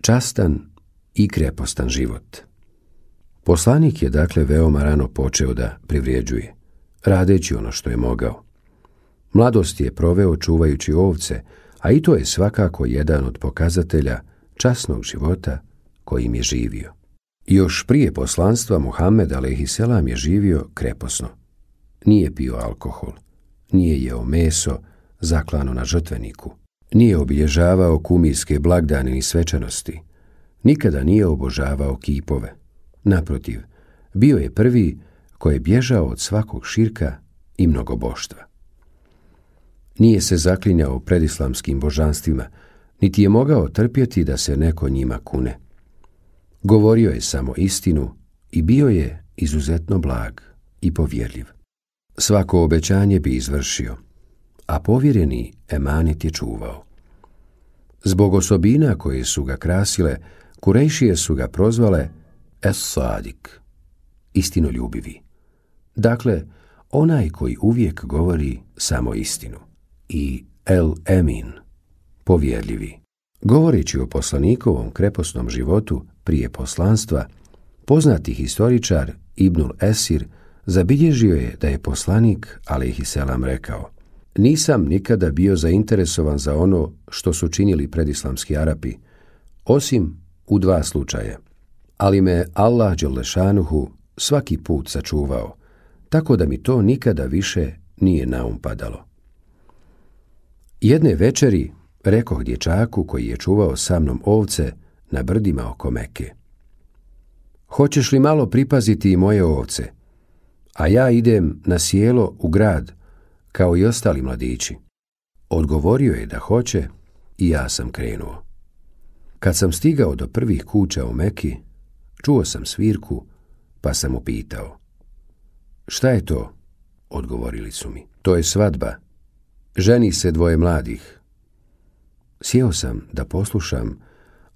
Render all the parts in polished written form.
častan i krepostan život. Poslanik je dakle veoma rano počeo da privređuje, radeći ono što je mogao. Mladost je proveo čuvajući ovce, a i to je svakako jedan od pokazatelja časnog života kojim je živio. Još prije poslanstva Muhammed a.s. je živio kreposno. Nije pio alkohol, nije jeo meso zaklano na žrtveniku, nije obilježavao kumirske blagdane ni svečanosti, nikada nije obožavao kipove. Naprotiv, bio je prvi koji je bježao od svakog širka i mnogoboštva. Nije se zaklinjao pred islamskim božanstvima, niti je mogao trpjeti da se neko njima kune. Govorio je samo istinu i bio je izuzetno blag i povjerljiv. Svako obećanje bi izvršio, a povjereni emanet je čuvao. Zbog osobina koje su ga krasile, Kurejšije su ga prozvale Es-Sadik, istinoljubivi. Dakle, onaj koji uvijek govori samo istinu, i El-Emin, povjerljivi. Govoreći o poslanikovom kreposnom životu prije poslanstva, poznati historičar Ibnul Esir zabilježio je da je poslanik a.s. rekao: nisam nikada bio zainteresovan za ono što su činili predislamski Arapi, osim u 2 slučaja, ali me Allah dželešanuhu svaki put sačuvao, tako da mi to nikada više nije na um padalo. Jedne večeri rekoh dječaku koji je čuvao sa mnom ovce na brdima oko Mekke: hoćeš li malo pripaziti i moje ovce, a ja idem na sjelo u grad kao i ostali mladići. Odgovorio je da hoće i ja sam krenuo. Kad sam stigao do prvih kuća u Meki, čuo sam svirku, pa sam upitao: šta je to? Odgovorili su mi: to je svadba. Ženi se 2 mladih. Sjeo sam da poslušam,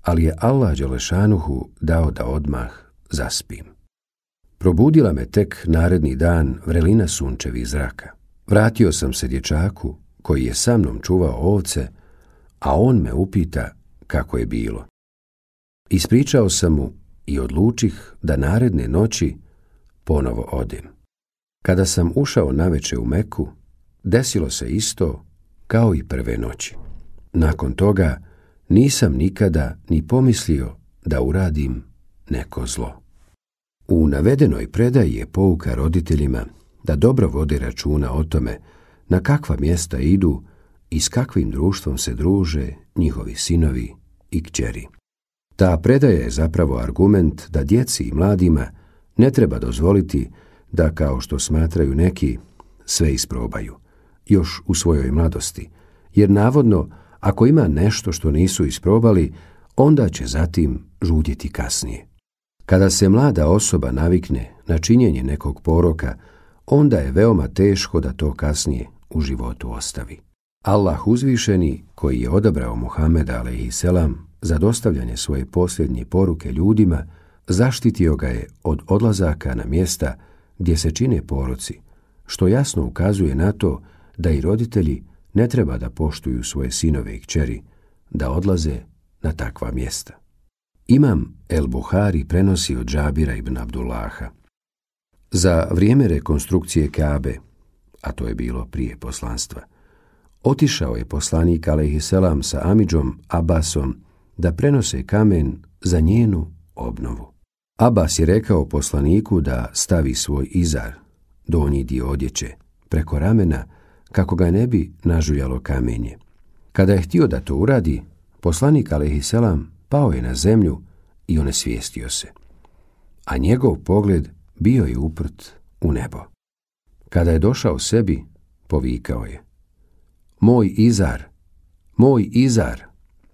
ali je Allah dželešanuhu dao da odmah zaspim. Probudila me tek naredni dan vrelina sunčevih zraka. Vratio sam se dječaku koji je sa mnom čuvao ovce, a on me upita kako je bilo. Ispričao sam mu i odlučih da naredne noći ponovo odem. Kada sam ušao naveče u Meku, desilo se isto kao i prve noći. Nakon toga nisam nikada ni pomislio da uradim neko zlo. U navedenoj predaji je pouka roditeljima da dobro vode računa o tome na kakva mjesta idu i s kakvim društvom se druže njihovi sinovi i kćeri. Ta predaja je zapravo argument da djeci i mladima ne treba dozvoliti da, kao što smatraju neki, sve isprobaju, još u svojoj mladosti, jer navodno, ako ima nešto što nisu isprobali, onda će zatim žudjeti kasnije. Kada se mlada osoba navikne na činjenje nekog poroka, onda je veoma teško da to kasnije u životu ostavi. Allah uzvišeni, koji je odabrao Muhameda a.s. za dostavljanje svoje posljednje poruke ljudima, zaštitio ga je od odlazaka na mjesta gdje se čine poroci, što jasno ukazuje na to da i roditelji ne treba da poštuju svoje sinove i kćeri, da odlaze na takva mjesta. Imam El Buhari prenosi od Džabira ibn Abdullaha: za vrijeme rekonstrukcije Kabe, a to je bilo prije poslanstva, otišao je poslanik a.s. sa amidžom Abbasom da prenose kamen za njenu obnovu. Abbas je rekao poslaniku da stavi svoj izar, donji dio odjeće, preko ramena kako ga ne bi nažuljalo kamenje. Kada je htio da to uradi, poslanik a.s. pao je na zemlju i onesvijestio se, a njegov pogled bio je uprt u nebo. Kada je došao sebi, povikao je: moj izar, moj izar,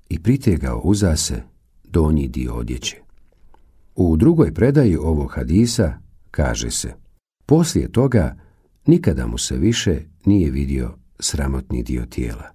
i pritegao uza se donji dio odjeće. U drugoj predaji ovog hadisa kaže se: poslije toga nikada mu se više nije vidio sramotni dio tijela.